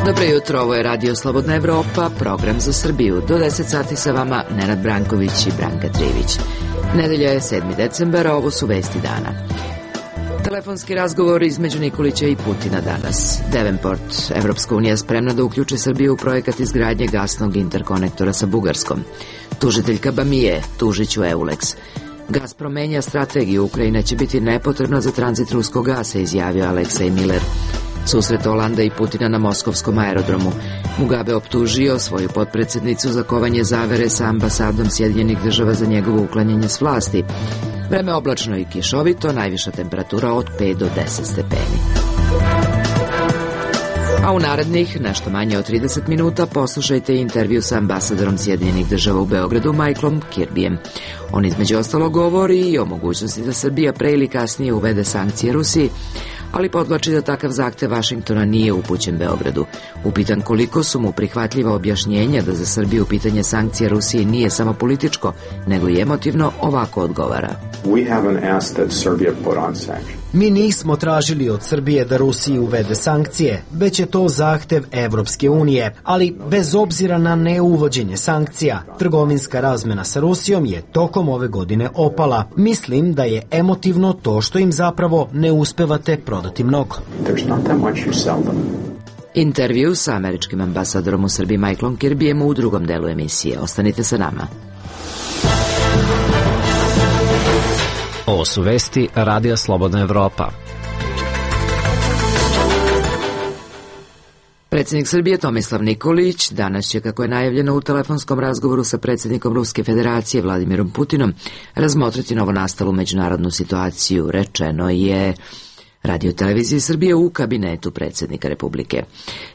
Dobro jutro, ovo je Radio Slobodna Evropa, program za Srbiju. Do 10 sati sa vama Nenad Branković i Branka Trivić. Nedelja je 7. decembar, a ovo su vesti dana. Telefonski razgovor između Nikolića i Putina danas. Davenport, Evropska unija spremna da uključi Srbiju u projekat izgradnje gasnog interkonektora sa Bugarskom. Tužiteljka Bamije, tužiću Eulex. Gazprom menja strategiju, Ukrajina će biti nepotrebna za tranzit ruskog gasa, izjavio Aleksej Miller. Susret Olanda i Putina na moskovskom aerodromu. Mugabe optužio svoju potpredsjednicu za kovanje zavere sa ambasadom Sjedinjenih država za njegovo uklanjanje s vlasti. Vreme oblačno i kišovito, najviša temperatura od 5 do 10 stepeni. A u narednih nešto manje od 30 minuta poslušajte intervju sa ambasadorom Sjedinjenih država u Beogradu Michaelom Kirbyjem. On između ostalog govori i o mogućnosti da Srbija pre ili kasnije uvede sankcije Rusiji, ali podvlači da takav zahtev Vašingtona nije upućen Beogradu. Upitan koliko su mu prihvatljiva objašnjenja da za Srbiju pitanje sankcija Rusiji nije samo političko, nego i emotivno, ovako odgovara. Mi nismo tražili od Srbije da Rusiji uvede sankcije, već je to zahtev Evropske unije, ali bez obzira na neuvođenje sankcija, trgovinska razmena sa Rusijom je tokom ove godine opala. Mislim da je emotivno to što im zapravo ne uspevate prodati mnogo. Intervju sa američkim ambasadorom u Srbiji Michaelom Kirbyjem u drugom delu emisije. Ostanite sa nama. Ovo su vesti Radija Slobodna Evropa. Predsjednik Srbije Tomislav Nikolić danas će, kako je najavljeno u telefonskom razgovoru sa predsjednikom Ruske federacije Vladimirom Putinom, razmotriti novonastalu međunarodnu situaciju, rečeno je Radio televiziji Srbije u kabinetu predsjednika Republike.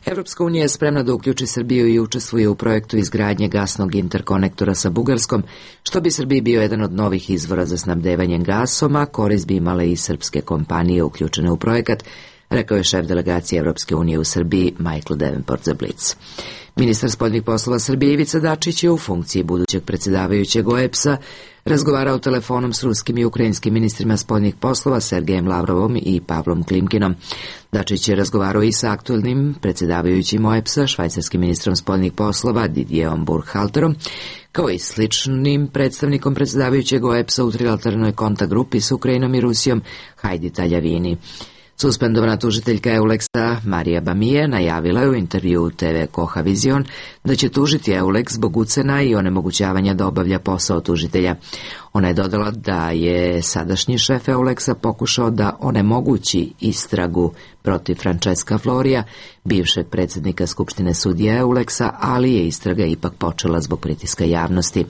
Evropska unija je spremna da uključi Srbiju i učestvuje u projektu izgradnje gasnog interkonektora sa Bugarskom, što bi Srbiji bio jedan od novih izvora za snabdevanjem gasom, a korist bi imale i srpske kompanije uključene u projekat, rekao je šef delegacije Evropske unije u Srbiji Michael Davenport za Blic. Ministar spoljnih poslova Srbije Ivica Dačić je u funkciji budućeg predsjedavajućeg OEBS-a razgovarao telefonom s ruskim i ukrajinskim ministrima spoljnih poslova Sergejem Lavrovom i Pavlom Klimkinom. Dačić je razgovarao i sa aktuelnim predsjedavajućim OEBS-a, švajcarskim ministrom spoljnih poslova Didierom Burkhalterom, kao i sličnim predstavnikom predsjedavajućeg OEBS-a u trilateralnoj kontakt grupi s Ukrajinom i Rusijom Hajdi Taljavini. Suspendovana tužiteljka Eulexa Marija Bamije najavila je u intervju TV Koha Vizion da će tužiti Eulex zbog ucena i onemogućavanja da obavlja posao tužitelja. Ona je dodala da je sadašnji šef Eulexa pokušao da onemogući istragu protiv Francesca Florija, bivšeg predsjednika Skupštine sudija Eulexa, ali je istraga ipak počela zbog pritiska javnosti.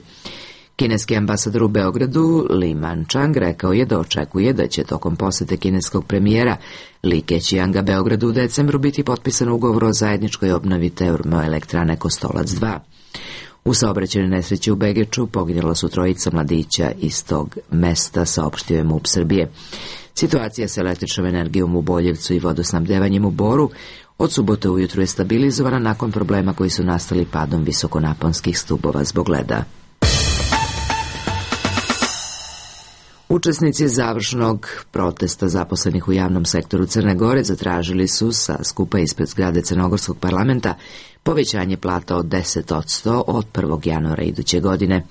Kineski ambasador u Beogradu Li Manchang rekao je da očekuje da će tokom posete kineskog premijera Li Keqianga Beogradu u decembru biti potpisan ugovor o zajedničkoj obnovi termoelektrane Kostolac 2. U saobraćajnoj nesreći u Begeču poginula su trojica mladića iz tog mesta, saopštio je MUP Srbije. Situacija sa električnom energijom u Boljevcu i vodosnabdevanjem u Boru od subote ujutru je stabilizovana nakon problema koji su nastali padom visokonaponskih stubova zbog leda. Učesnici završnog protesta zaposlenih u javnom sektoru Crne Gore zatražili su sa skupa ispred zgrade Crnogorskog parlamenta povećanje plata od 10% od 1. januara iduće godine.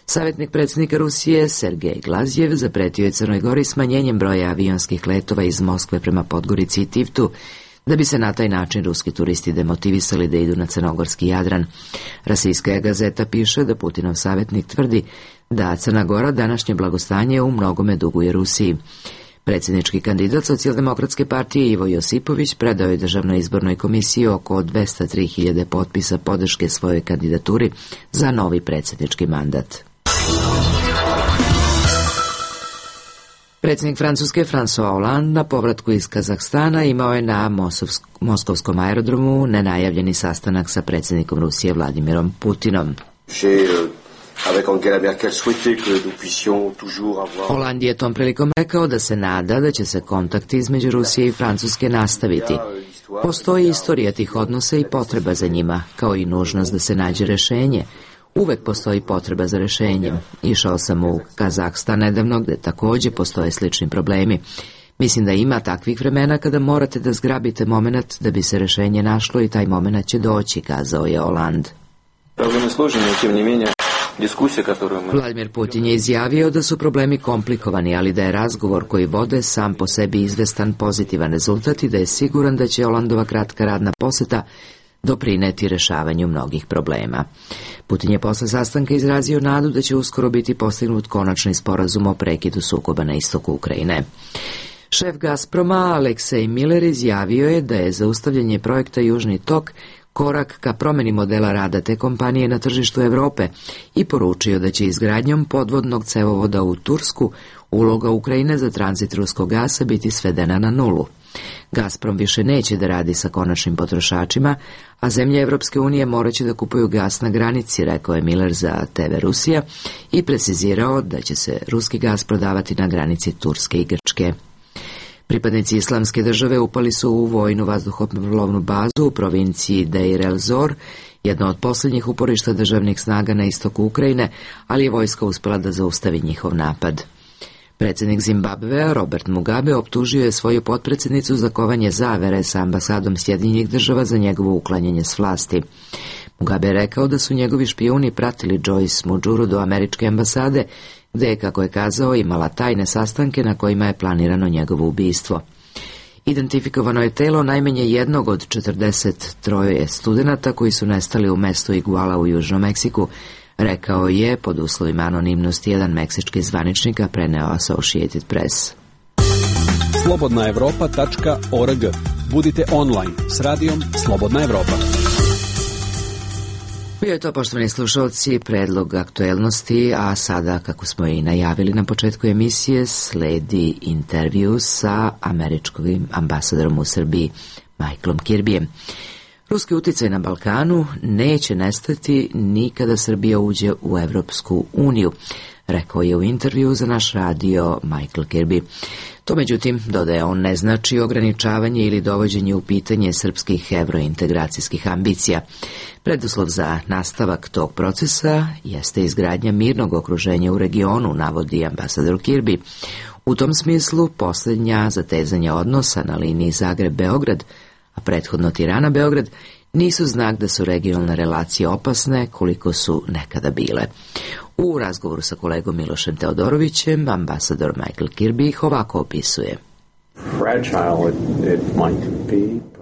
Savjetnik predsjednika Rusije Sergej Glazjev zapretio je Crnoj Gori smanjenjem broja avionskih letova iz Moskve prema Podgorici i Tivtu, da bi se na taj način ruski turisti demotivisali da idu na crnogorski Jadran. Rasijska gazeta piše da Putinov savjetnik tvrdi da Crna Gora današnje blagostanje u mnogome duguje Rusiji. Predsjednički kandidat Socijaldemokratske partije Ivo Josipović predao je Državnoj izbornoj komisiji oko 203.000 potpisa podrške svojoj kandidaturi za novi predsjednički mandat. Predsjednik Francuske François Hollande na povratku iz Kazahstana imao je na moskovskom aerodromu nenajavljeni sastanak sa predsjednikom Rusije Vladimirom Putinom. Hollande je tom prilikom rekao da se nada da će se kontakti između Rusije i Francuske nastaviti. Postoji istorija tih odnosa i potreba za njima, kao i nužnost da se nađe rešenje. Uvek postoji potreba za rešenjem. Išao sam u Kazahstan nedavno, gde takođe postoje slični problemi. Mislim da ima takvih vremena kada morate da zgrabite moment da bi se rešenje našlo i taj moment će doći, kazao je Hollande. Vladimir Putin je izjavio da su problemi komplikovani, ali da je razgovor koji vode sam po sebi izvestan pozitivan rezultat i da je siguran da će Hollandova kratka radna poseta doprineti rešavanju mnogih problema. Putin je posle sastanka izrazio nadu da će uskoro biti postignut konačni sporazum o prekidu sukoba na istoku Ukrajine. Šef Gazproma Aleksej Miller izjavio je da je zaustavljanje projekta Južni tok korak ka promeni modela rada te kompanije na tržištu Evrope i poručio da će izgradnjom podvodnog cevovoda u Tursku uloga Ukrajine za tranzit ruskog gasa biti svedena na nulu. Gazprom više neće da radi sa konačnim potrošačima, a zemlje Evropske unije moraće da kupuju gas na granici, rekao je Miller za TV Rusija i precizirao da će se ruski gas prodavati na granici Turske i Grčke. Pripadnici Islamske države upali su u vojnu vazduhoplovnu bazu u provinciji Deir el-Zor, jedno od posljednjih uporišta državnih snaga na istoku Ukrajine, ali je vojska uspela da zaustavi njihov napad. Predsjednik Zimbabvea Robert Mugabe optužio je svoju potpredsjednicu za kovanje zavere sa ambasadom Sjedinjenih država za njegovo uklanjanje s vlasti. Mugabe je rekao da su njegovi špijuni pratili Joyce Mujuru do američke ambasade, gde je, kako je kazao, imala tajne sastanke na kojima je planirano njegovo ubistvo. Identifikovano je telo najmanje jednog od 43 studenata koji su nestali u mestu Iguala u Južnom Meksiku, rekao je pod uslovima anonimnosti jedan meksički zvaničnik, a preneo Associated Press. Slobodnaevropa.org. Budite online s radijom Slobodna Evropa. Bio je to, poštovani slušalci, predlog aktuelnosti, a sada, kako smo i najavili na početku emisije, sledi intervju sa američkim ambasadorom u Srbiji, Michaelom Kirbyjem. Ruski uticaj na Balkanu neće nestati ni kada Srbija uđe u Evropsku uniju, rekao je u intervju za naš radio Michael Kirby. To, međutim, dodaje on, ne znači ograničavanje ili dovođenje u pitanje srpskih evrointegracijskih ambicija. Preduslov za nastavak tog procesa jeste izgradnja mirnog okruženja u regionu, navodi ambasador Kirby. U tom smislu, posljednja zatezanja odnosa na liniji Zagreb-Beograd, a prethodno Tirana-Beograd, nisu znak da su regionalne relacije opasne koliko su nekada bile. U razgovoru sa kolegom Milošem Teodorovićem, ambasador Michael Kirby ih ovako opisuje.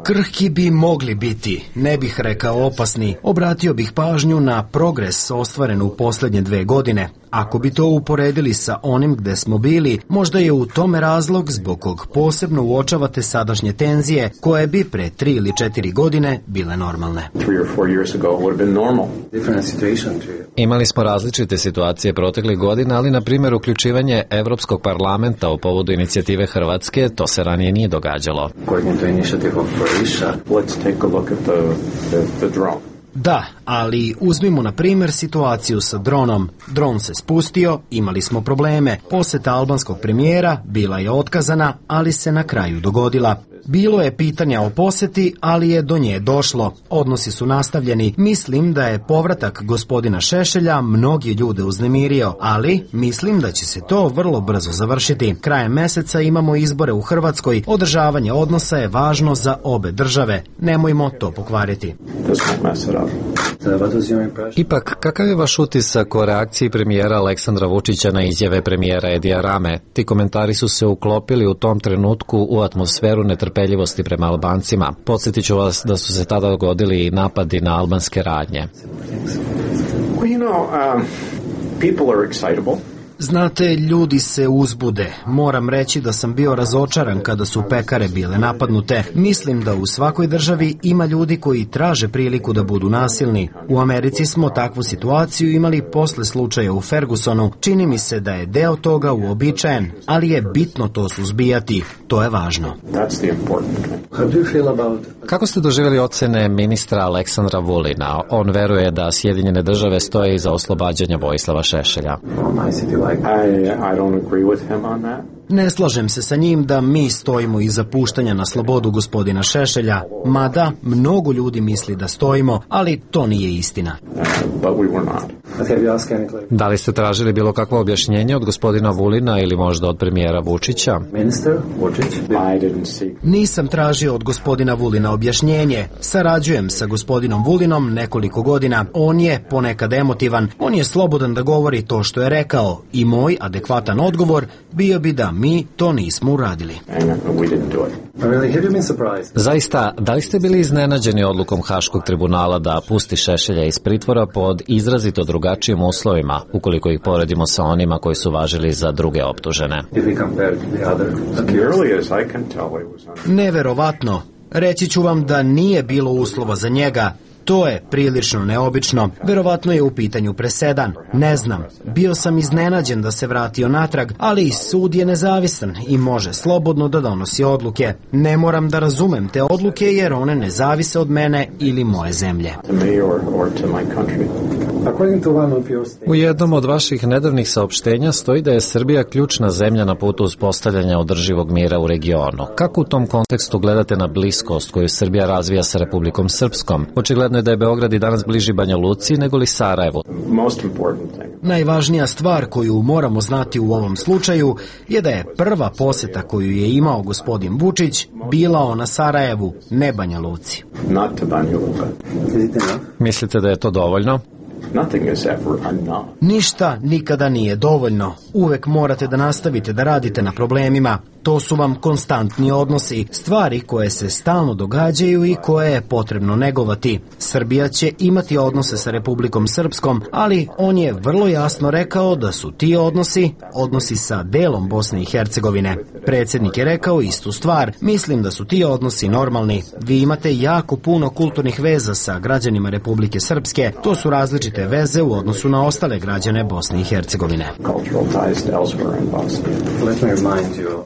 Krhki bi mogli biti, ne bih rekao opasni. Obratio bih pažnju na progres ostvaren u posljednje 2 godine. Ako bi to uporedili sa onim gde smo bili, možda je u tome razlog zbog kog posebno uočavate sadašnje tenzije, koje bi pre 3 ili 4 godine bile normalne. Imali smo različite situacije proteklih godina, ali na primjer uključivanje Evropskog parlamenta u povodu inicijative Hrvatske, to se ranije nije događalo. Da, ali uzmimo na primjer situaciju sa dronom. Dron se spustio, imali smo probleme. Poseta albanskog premijera bila je otkazana, ali se na kraju dogodila. Bilo je pitanja o poseti, ali je do nje došlo. Odnosi su nastavljeni. Mislim da je povratak gospodina Šešelja mnogi ljude uznemirio, ali mislim da će se to vrlo brzo završiti. Krajem meseca imamo izbore u Hrvatskoj. Održavanje odnosa je važno za obe države. Nemojmo to pokvariti. Ipak, kakav je vaš utisak o reakciji premijera Aleksandra Vučića na izjave premijera Edija Rame? Ti komentari su se uklopili u tom trenutku u atmosferu netrpeljivosti prema Albancima. Podsjetit ću vas da su se tada dogodili i napadi na albanske radnje. People are excitable. Znate, ljudi se uzbude. Moram reći da sam bio razočaran kada su pekare bile napadnute. Mislim da u svakoj državi ima ljudi koji traže priliku da budu nasilni. U Americi smo takvu situaciju imali posle slučaja u Fergusonu. Čini mi se da je deo toga uobičajen, ali je bitno to suzbijati. To je važno. Kako ste doživjeli ocene ministra Aleksandra Vulina? On veruje da Sjedinjene države stoje iza oslobađanja Vojislava Šešelja. I don't agree with him on that. Ne slažem se sa njim da mi stojimo iza puštanja na slobodu gospodina Šešelja, mada mnogo ljudi misli da stojimo, ali to nije istina. Da li ste tražili bilo kakvo objašnjenje od gospodina Vulina ili možda od premijera Vučića? Nisam tražio od gospodina Vulina objašnjenje. Sarađujem sa gospodinom Vulinom nekoliko godina. On je ponekad emotivan. On je slobodan da govori to što je rekao i moj adekvatan odgovor bio bi da mi to nismo uradili. Zaista, da li ste bili iznenađeni odlukom Haškog tribunala da pusti Šešelja iz pritvora pod izrazito drugačijim uslovima, ukoliko ih poredimo sa onima koji su važili za druge optužene? Neverovatno. Reći ću vam da nije bilo uslova za njega. To je prilično neobično. Verovatno je u pitanju presedan. Ne znam. Bio sam iznenađen da se vratio natrag, ali sud je nezavisan i može slobodno da donosi odluke. Ne moram da razumem te odluke jer one ne zavise od mene ili moje zemlje. U jednom od vaših nedavnih saopštenja stoji da je Srbija ključna zemlja na putu uspostavljanja održivog mira u regionu. Kako u tom kontekstu gledate na bliskost koju Srbija razvija sa Republikom Srpskom? Očigledno je da je Beograd i danas bliži Banja Luci nego li Sarajevu. Najvažnija stvar koju moramo znati u ovom slučaju je da je prva poseta koju je imao gospodin Vučić bila ona Sarajevu, ne Banja Luci. Mislite da je to dovoljno? Ništa nikada nije dovoljno. Uvek morate da nastavite da radite na problemima. To su vam konstantni odnosi, stvari koje se stalno događaju i koje je potrebno negovati. Srbija će imati odnose sa Republikom Srpskom, ali on je vrlo jasno rekao da su ti odnosi sa delom Bosne i Hercegovine. Predsjednik je rekao istu stvar. Mislim da su ti odnosi normalni. Vi imate jako puno kulturnih veza sa građanima Republike Srpske. To su različite veze u odnosu na ostale građane Bosne i Hercegovine.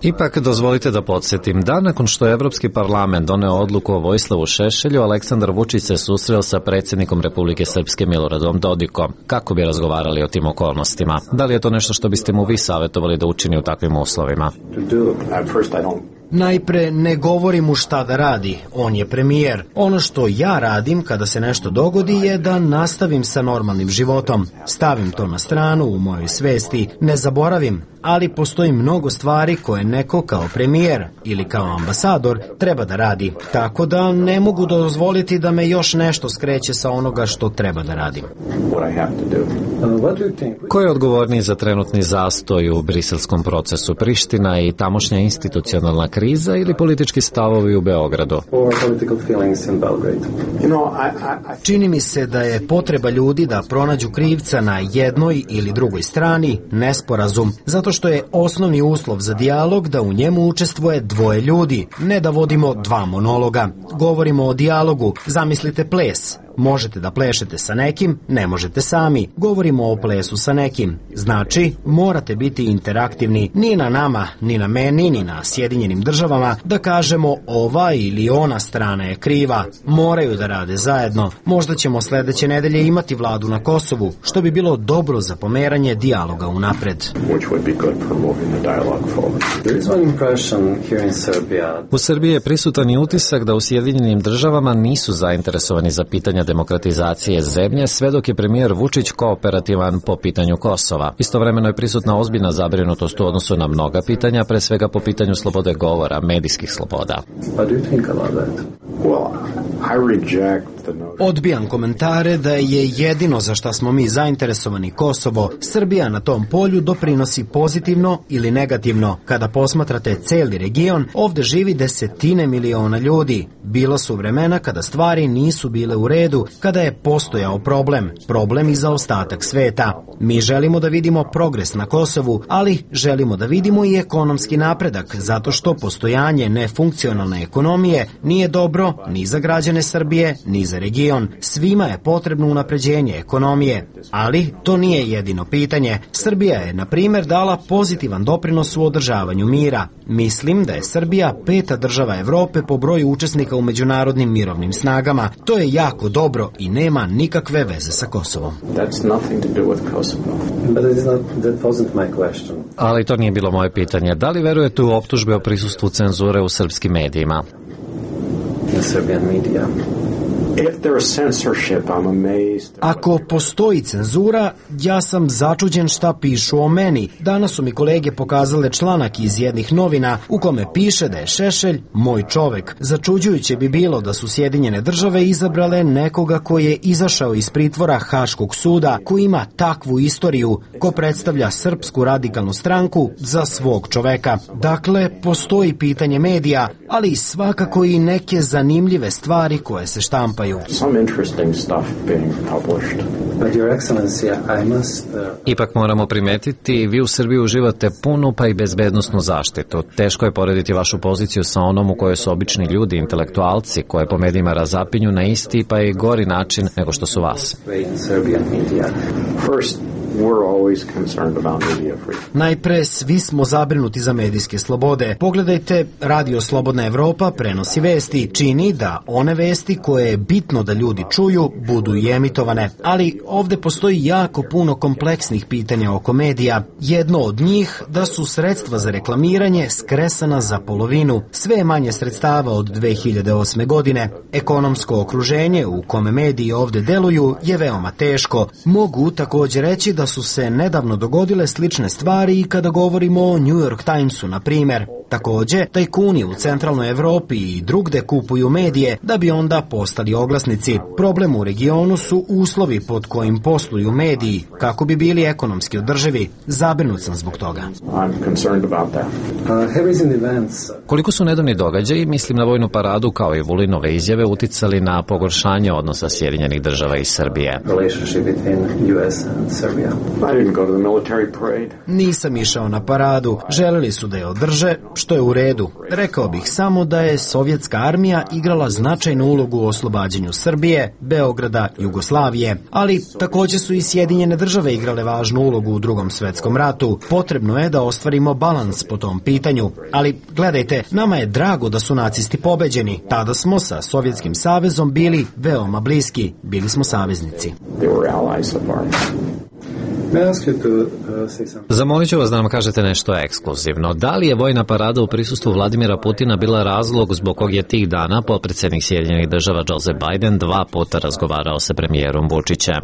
Ipak dozvolite da podsjetim da nakon što je Evropski parlament doneo odluku o Vojislavu Šešelju, Aleksandar Vučić se susreo sa predsjednikom Republike Srpske Miloradom Dodikom. Kako bi razgovarali o tim okolnostima? Da li je to nešto što biste mu vi savjetovali da učini u takvim uslovima? Najpre ne govori mu šta da radi, on je premijer. Ono što ja radim kada se nešto dogodi je da nastavim sa normalnim životom. Stavim to na stranu u mojoj svesti, ne zaboravim, ali postoji mnogo stvari koje neko kao premijer ili kao ambasador treba da radi. Tako da ne mogu dozvoliti da me još nešto skreće sa onoga što treba da radim. Ko je odgovorniji za trenutni zastoj u briselskom procesu? Priština i tamošnja institucionalna kriza ili politički stavovi u Beogradu? Čini mi se da je potreba ljudi da pronađu krivca na jednoj ili drugoj strani nesporazum, zato što je osnovni uslov za dijalog da u njemu učestvuje dvoje ljudi, ne da vodimo dva monologa. Govorimo o dijalogu, zamislite ples. Možete da plešete sa nekim, ne možete sami. Govorimo o plesu sa nekim. Znači, morate biti interaktivni. Ni na nama, ni na meni, ni na Sjedinjenim državama da kažemo ova ili ona strana je kriva. Moraju da rade zajedno. Možda ćemo sledeće nedelje imati vladu na Kosovu, što bi bilo dobro za pomeranje dijaloga unapred. U Srbiji je prisutan i utisak da u Sjedinjenim državama nisu zainteresovani za pitanja demokratizacije zemlje, sve dok je premijer Vučić kooperativan po pitanju Kosova. Istovremeno je prisutna ozbiljna zabrinutost u odnosu na mnoga pitanja, pre svega po pitanju slobode govora, medijskih sloboda. Odbijam komentare da je jedino za šta smo mi zainteresovani Kosovo. Srbija na tom polju doprinosi pozitivno ili negativno. Kada posmatrate celi region, ovde živi desetine miliona ljudi. Bila su vremena kada stvari nisu bile u redu, kada je postojao problem i za ostatak sveta. Mi želimo da vidimo progres na Kosovu, ali želimo da vidimo i ekonomski napredak, zato što postojanje nefunkcionalne ekonomije nije dobro ni za građane Srbije, ni za za region. Svima je potrebno unapređenje ekonomije, ali to nije jedino pitanje. Srbija je, na primjer, dala pozitivan doprinos u održavanju mira. Mislim da je Srbija 5. država Evrope po broju učesnika u međunarodnim mirovnim snagama. To je jako dobro i nema nikakve veze sa Kosovom. Ali to nije bilo moje pitanje. Da li verujete u optužbe o prisustvu cenzure u srpskim medijima? Ako postoji cenzura, ja sam začuđen šta pišu o meni. Danas su mi kolege pokazale članak iz jednih novina u kome piše da je Šešelj moj čovek. Začuđujuće bi bilo da su Sjedinjene države izabrale nekoga ko je izašao iz pritvora Haškog suda, ko ima takvu istoriju, ko predstavlja Srpsku radikalnu stranku za svog čoveka. Dakle, postoji pitanje medija, ali svakako i neke zanimljive stvari koje se štampaju. Ipak moramo primetiti, vi u Srbiji uživate punu pa i bezbednosnu zaštitu. Teško je porediti vašu poziciju sa onom u kojoj su obični ljudi, intelektualci, koje po medijima razapinju na isti pa i gori način nego što su vas. Najpre, svi smo zabrinuti za medijske slobode. Pogledajte, Radio Slobodna Evropa prenosi vesti, čini da one vesti koje je bitno da ljudi čuju budu i emitovane. Ali ovde postoji jako puno kompleksnih pitanja oko medija. Jedno od njih da su sredstva za reklamiranje skresana za polovinu. Sve je manje sredstava od 2008. godine. Ekonomsko okruženje u kome mediji ovde deluju je veoma teško. Mogu također reći da su se nedavno dogodile slične stvari i kada govorimo o New York Timesu, na primjer. Takođe, tajkuni u centralnoj Evropi i drugde kupuju medije da bi onda postali oglasnici. Problem u regionu su uslovi pod kojim posluju mediji, kako bi bili ekonomski održivi. Zabrinut sam zbog toga. Koliko su nedavni događaji, mislim na vojnu paradu kao i Vulinove izjave, uticali na pogoršanje odnosa Sjedinjenih država i Srbije? Nisam išao na paradu. Želeli su da je održe, što je u redu. Rekao bih samo da je sovjetska armija igrala značajnu ulogu u oslobađanju Srbije, Beograda, Jugoslavije, ali također su i Sjedinjene države igrale važnu ulogu u Drugom svetskom ratu. Potrebno je da ostvarimo balans po tom pitanju. Ali, gledajte, nama je drago da su nacisti pobeđeni. Tada smo sa Sovjetskim savezom bili veoma bliski. Bili smo saveznici. Zamolit ću vas da nam kažete nešto ekskluzivno. Da li je vojna parada u prisustvu Vladimira Putina bila razlog zbog kog je tih dana potpredsjednik Sjedinjenih država Joseph Biden 2 puta razgovarao sa premijerom Vučićem?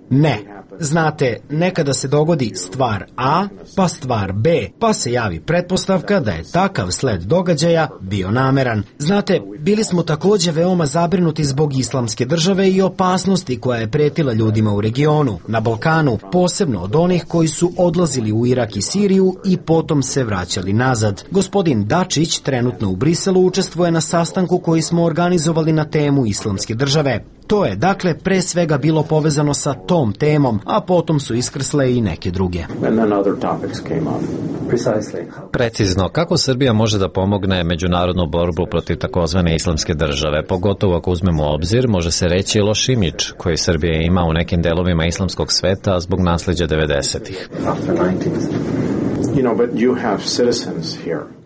Ne. Znate, nekada se dogodi stvar A, pa stvar B, pa se javi pretpostavka da je takav sled događaja bio nameran. Znate, bili smo također veoma zabrinuti zbog Islamske države i opasnosti koja je pretila ljudima u regionu, na Balkanu, posebno od onih koji su odlazili u Irak i Siriju i potom se vraćali nazad. Gospodin Dačić trenutno u Briselu učestvuje na sastanku koji smo organizovali na temu Islamske države. To je, dakle, pre svega bilo povezano sa tom temom, a potom su iskrsle i neke druge. Precizno, kako Srbija može da pomogne međunarodnu borbu protiv takozvane Islamske države? Pogotovo ako uzmemo u obzir, može se reći loš imidž koji Srbija ima u nekim delovima islamskog sveta zbog nasleđa 90-ih.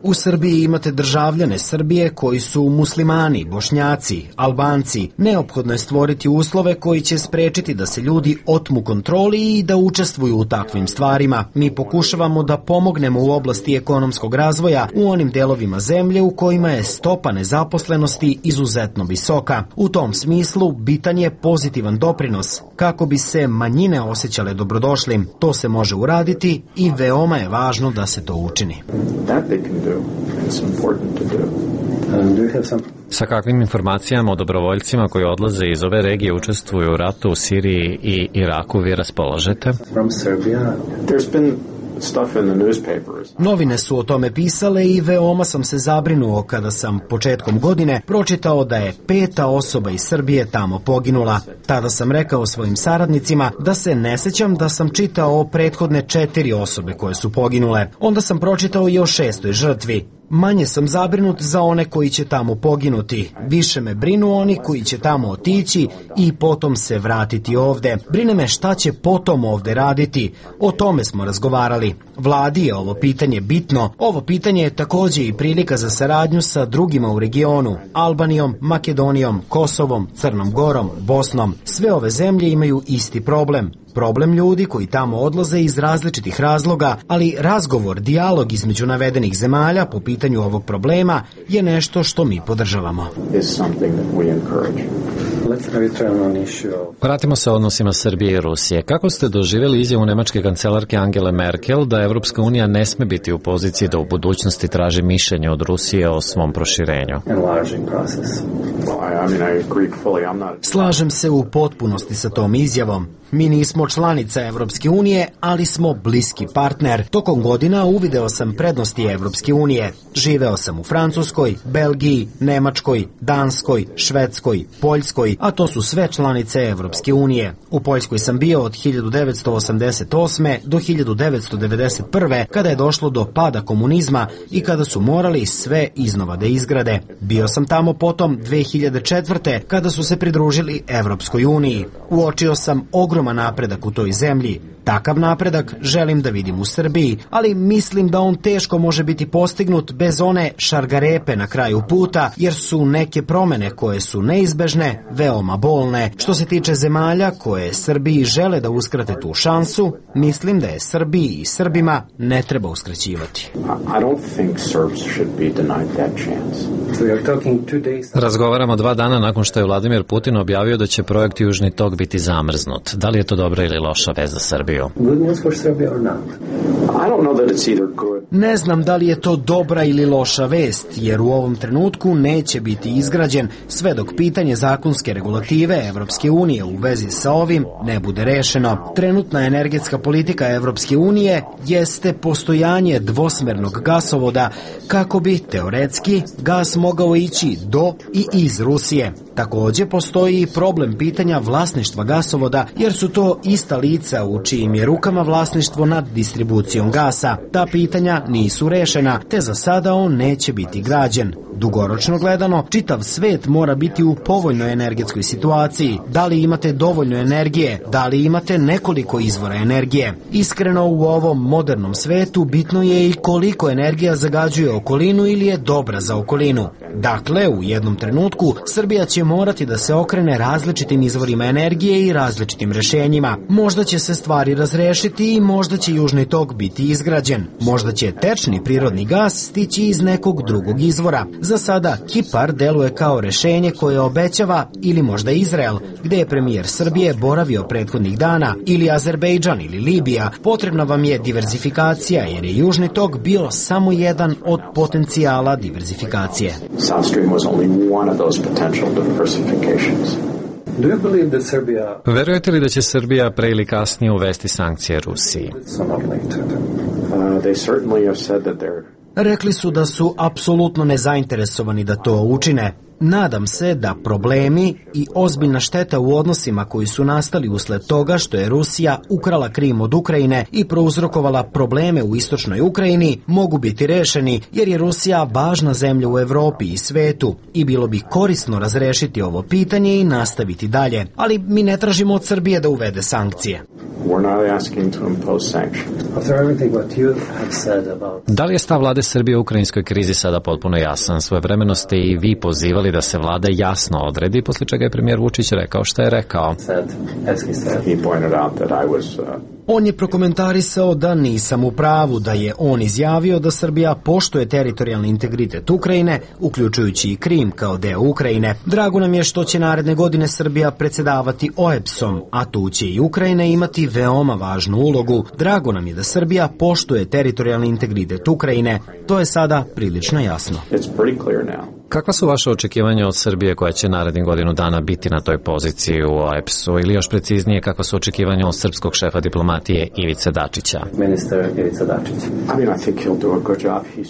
U Srbiji imate državljane Srbije koji su muslimani, Bošnjaci, Albanci. Neophodno je stvoriti uslove koji će sprečiti da se ljudi otmu kontroli i da učestvuju u takvim stvarima. Mi pokušavamo da pomognemo u oblasti ekonomskog razvoja u onim delovima zemlje u kojima je stopa nezaposlenosti izuzetno visoka. U tom smislu bitan je pozitivan doprinos kako bi se manjine osjećale dobrodošlim. To se može uraditi i veoma je važno da se to učini. Sa kakvim informacijama o dobrovoljcima koji odlaze iz ove regije učestvuju u ratu u Siriji i Iraku vi raspolažete? Novine su o tome pisale i veoma sam se zabrinuo kada sam početkom godine pročitao da je 5. osoba iz Srbije tamo poginula. Tada sam rekao svojim saradnicima da se ne sećam da sam čitao o prethodne 4 osobe koje su poginule. Onda sam pročitao i o 6. žrtvi. Manje sam zabrinut za one koji će tamo poginuti. Više me brinu oni koji će tamo otići i potom se vratiti ovde. Brine me šta će potom ovde raditi. O tome smo razgovarali. Vladi je ovo pitanje bitno. Ovo pitanje je takođe i prilika za saradnju sa drugima u regionu. Albanijom, Makedonijom, Kosovom, Crnom Gorom, Bosnom. Sve ove zemlje imaju isti problem. Problem ljudi koji tamo odlaze iz različitih razloga, ali razgovor, dijalog između navedenih zemalja po pitanju ovog problema je nešto što mi podržavamo. Vratimo se odnosima Srbije i Rusije. Kako ste doživjeli izjavu nemačke kancelarke Angele Merkel da Evropska unija ne sme biti u poziciji da u budućnosti traži mišljenje od Rusije o svom proširenju? Slažem se u potpunosti sa tom izjavom. Mi nismo članica Evropske unije, ali smo bliski partner. Tokom godina uvideo sam prednosti Evropske unije. Živeo sam u Francuskoj, Belgiji, Nemačkoj, Danskoj, Švedskoj, Poljskoj, a to su sve članice Evropske unije. U Poljskoj sam bio od 1988. do 1991. kada je došlo do pada komunizma i kada su morali sve iznova da izgrade. Bio sam tamo potom 2004. kada su se pridružili Evropskoj uniji. Uočio sam ogroman napredak u toj zemlji. Takav napredak želim da vidim u Srbiji, ali mislim da on teško može biti postignut bez one šargarepe na kraju puta, jer su neke promene koje su neizbežne, veoma bolne. Što se tiče zemalja koje Srbiji žele da uskrate tu šansu, mislim da je Srbiji i Srbima ne treba uskraćivati. Razgovaramo 2 dana nakon što je Vladimir Putin objavio da će projekt Južni tok biti zamrznut. Da li je to dobra ili loša vest za Srbiju? Ne znam da li je to dobra ili loša vest, jer u ovom trenutku neće biti izgrađen sve dok pitanje zakonske regulative Evropske unije u vezi sa ovim ne bude rešeno. Trenutna energetska politika Evropske unije jeste postojanje dvosmernog gasovoda kako bi, teoretski, gas mogao ići do i iz Rusije. Takođe postoji i problem pitanja vlasništva gasovoda, jer su to ista lica u čijim je rukama vlasništvo nad distribucijom gasa. Ta pitanja nisu rešena, te za sada on neće biti građen. Dugoročno gledano, čitav svet mora biti u povoljnoj energetskoj situaciji. Da li imate dovoljno energije? Da li imate nekoliko izvora energije? Iskreno, u ovom modernom svetu bitno je i koliko energija zagađuje okolinu ili je dobra za okolinu. Dakle, u jednom trenutku Srbija će morati da se okrene različitim izvorima energije i različitim rešenjima. Možda će se stvari razrešiti i možda će Južni tok biti izgrađen. Možda će tečni prirodni gas stići iz nekog drugog izvora. Za sada Kipar deluje kao rešenje koje obećava, ili možda Izrael, gde je premijer Srbije boravio prethodnih dana, ili Azerbejdžan ili Libija. Potrebna vam je diverzifikacija, jer je Južni tok bio samo jedan od potencijala diverzifikacije. South Stream was only one of those potential diversifications. Verujete li da će Srbija pre ili kasnije uvesti sankcije Rusiji? They certainly have said that Rekli su da su apsolutno nezainteresovani da to učine. Nadam se da problemi i ozbiljna šteta u odnosima koji su nastali usled toga što je Rusija ukrala Krim od Ukrajine i prouzrokovala probleme u istočnoj Ukrajini mogu biti rešeni, jer je Rusija važna zemlja u Evropi i svetu i bilo bi korisno razrešiti ovo pitanje i nastaviti dalje. Ali mi ne tražimo od Srbije da uvede sankcije. Da li je stav vlade Srbije u ukrajinskoj krizi sada potpuno jasan? Svojevremeno ste i vi pozivali da se vlada jasno odredi, posle čega je premijer Vučić rekao šta je rekao. On je prokomentarisao da nisam u pravu, da je on izjavio da Srbija poštuje teritorijalni integritet Ukrajine, uključujući i Krim kao deo Ukrajine. Drago nam je što će naredne godine Srbija predsedavati OEBS-om, a tu će i Ukrajina imati veoma važnu ulogu. Drago nam je da Srbija poštuje teritorijalni integritet Ukrajine. To je sada prilično jasno. It's pretty clear now. Kakva su vaše očekivanja od Srbije koja će narednih godinu dana biti na toj poziciji u OEBS-u ili još preciznije kakva su očekivanja od srpskog šefa diplomatije Ivice Dačića? Ministar Ivica Dačić.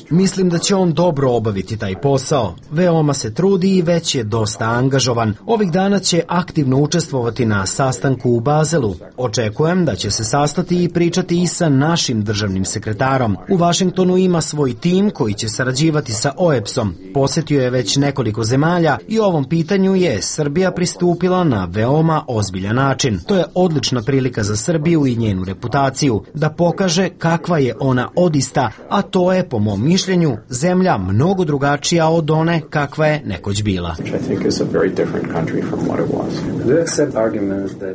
Mislim da će on dobro obaviti taj posao. Veoma se trudi i već je dosta angažovan. Ovih dana će aktivno učestvovati na sastanku u Bazelu. Očekujem da će se sastati i pričati i sa našim državnim sekretarom. U Vašingtonu ima svoj tim koji će sarađivati sa OEBS-om. Posjetio je već nekoliko zemalja i ovom pitanju je Srbija pristupila na veoma ozbiljan način. To je odlična prilika za Srbiju i njenu reputaciju, da pokaže kakva je ona odista, a to je, po mom mišljenju, zemlja mnogo drugačija od one kakva je nekoć bila.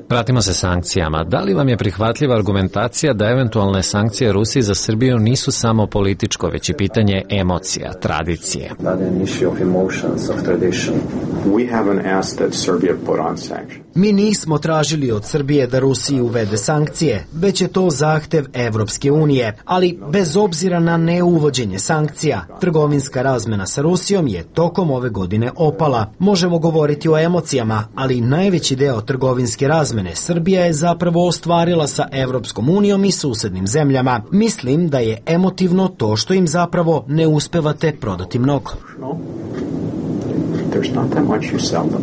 Vratimo se sankcijama. Da li vam je prihvatljiva argumentacija da eventualne sankcije Rusiji za Srbiju nisu samo političko, već i pitanje emocija, tradicije? Mi nismo tražili od Srbije da Rusiji uvede sankcije, već je to zahtev Evropske unije, ali bez obzira na neuvođenje sankcija, trgovinska razmena sa Rusijom je tokom ove godine opala. Možemo govoriti o emocijama, ali najveći deo trgovinske razmene Srbija je zapravo ostvarila sa Evropskom unijom i susednim zemljama. Mislim da je emotivno to što im zapravo ne uspevate prodati mnogo. There's not that much you sell them.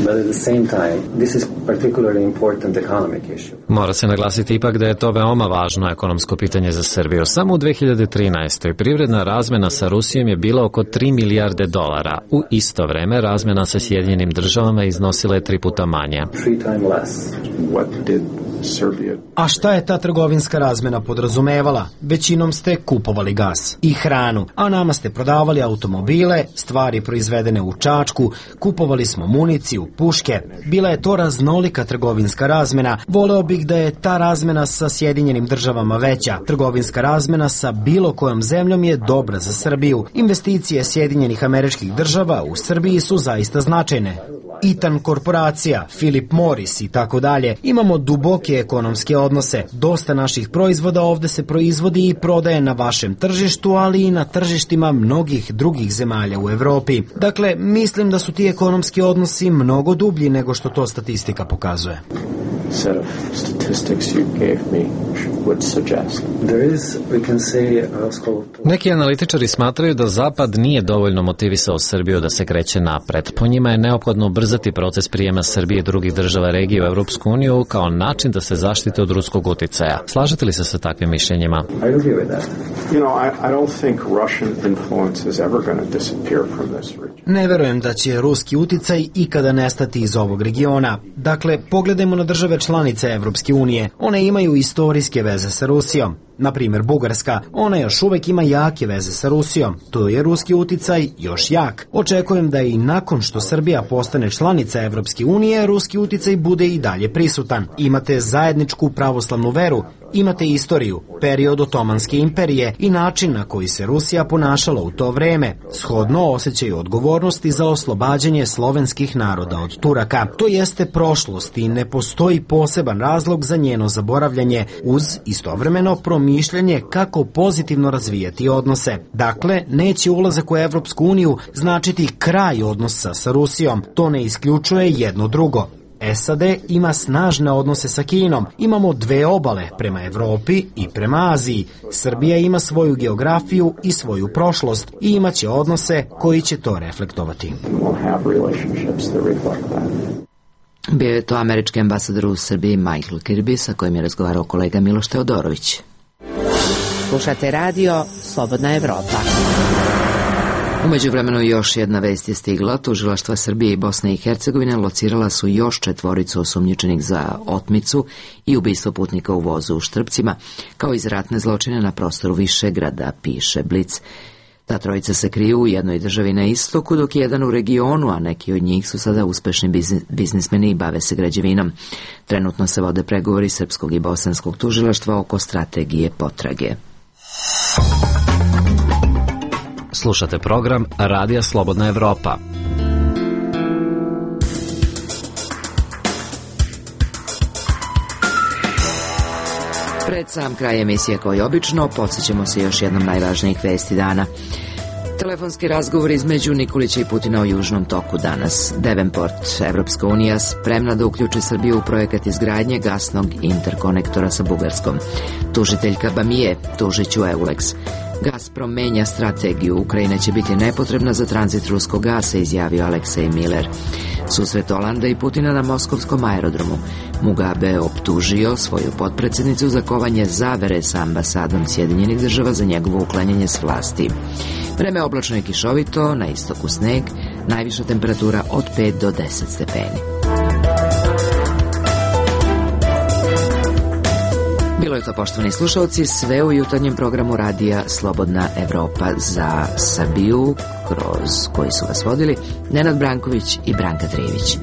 But at the same time, this is particularly important economic issue. Mora se naglasiti ipak da je to veoma važno ekonomsko pitanje za Srbiju. Samo u 2013. privredna razmena sa Rusijom je bila oko 3 milijarde dolara. U isto vreme razmena sa Sjedinjenim državama iznosila je 3 puta manje. 3 times less. What did Serbia... A šta je ta trgovinska razmena podrazumevala? Većinom ste kupovali gas i hranu, a nama ste prodavali automobile, stvari proizvedene u Čačku, kupovali smo municiju, puške. Bila je to raznolika trgovinska razmena. Voleo bih da je ta razmena sa Sjedinjenim državama veća. Trgovinska razmena sa bilo kojom zemljom je dobra za Srbiju. Investicije Sjedinjenih Američkih Država u Srbiji su zaista značajne. Itan korporacija, Philip Morris i tako dalje. Imamo duboke ekonomske odnose. Dosta naših proizvoda ovde se proizvodi i prodaje na vašem tržištu, ali i na tržištima mnogih drugih zemalja u Evropi. Dakle, mislim da su ti ekonomski odnosi mnogo dublji nego što to statistika pokazuje. set of statistics you gave me would suggest. There is, we can say, Neki analitičari smatraju da Zapad nije dovoljno motivisao Srbiju da se kreće napred. Po njima je neophodno ubrzati proces prijema Srbije i drugih država regije u Evropsku uniju kao način da se zaštite od ruskog uticaja. Slažete li se sa takvim mišljenjima? I agree with that. You know, I don't think Russian influence is ever going to disappear from this region. Ne verujem da će ruski uticaj ikada nestati iz ovog regiona. Dakle, pogledajmo na države članice Evropske unije. One imaju istorijske veze sa Rusijom. Na primjer, Bugarska, ona još uvek ima jake veze sa Rusijom. To je ruski uticaj još jak. Očekujem da i nakon što Srbija postane članica Evropske unije, ruski uticaj bude i dalje prisutan. Imate zajedničku pravoslavnu veru, imate istoriju, period Otomanske imperije i način na koji se Rusija ponašala u to vreme. Shodno osjećaju odgovornosti za oslobađanje slovenskih naroda od Turaka. To jeste prošlost i ne postoji poseban razlog za njeno zaboravljanje uz istovremeno promišljanje kako pozitivno razvijati odnose. Dakle, neće ulazak u Evropsku uniju značiti kraj odnosa sa Rusijom. To ne isključuje jedno drugo. SAD ima snažne odnose sa Kinom. Imamo dve obale, prema Evropi i prema Aziji. Srbija ima svoju geografiju i svoju prošlost i imaće odnose koji će to reflektovati. Bio je to američki ambasador u Srbiji Michael Kirby, sa kojim je razgovarao kolega Miloš Teodorović. Slušate radio Slobodna Evropa. U međuvremenu još jedna vest je stigla. Tužilaštva Srbije i Bosne i Hercegovine locirala su još 4 osumnjičenih za otmicu i ubistvo putnika u vozu u Štrpcima, kao i za ratne zločine na prostoru Višegrada, piše Blic. Ta trojica se kriju u jednoj državi na istoku, dok je jedan u regionu, a neki od njih su sada uspešni biznismeni i bave se građevinom. Trenutno se vode pregovori srpskog i bosanskog tužilaštva oko strategije potrage. Slušate program Radija Slobodna Evropa. Pred sam kraj emisije, kao i obično, podsjećamo se još jednom najvažnijih vesti dana. Telefonski razgovor između Nikolića i Putina o Južnom toku danas. Davenport, Evropska unija spremna da uključi Srbiju u projekat izgradnje gasnog interkonektora sa Bugarskom. Tužiteljka Bamije, tužiću Eulex. Gazprom menja strategiju, Ukrajina će biti nepotrebna za tranzit ruskog gasa, izjavio Aleksej Miller. Susret Olanda i Putina na moskovskom aerodromu. Mugabe optužio svoju potpredsjednicu za kovanje zavere sa ambasadom Sjedinjenih država za njegovo uklanjanje s vlasti. Vreme oblačno i kišovito, na istoku sneg, najviša temperatura od 5 do 10 stepeni. Bilo je to, poštovani slušalci, sve u jutarnjem programu radija Slobodna Evropa za Srbiju, kroz koji su vas vodili Nenad Branković i Branka Trijević.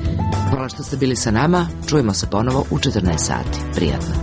Hvala što ste bili sa nama, čujemo se ponovo u 14 sati. Prijatno.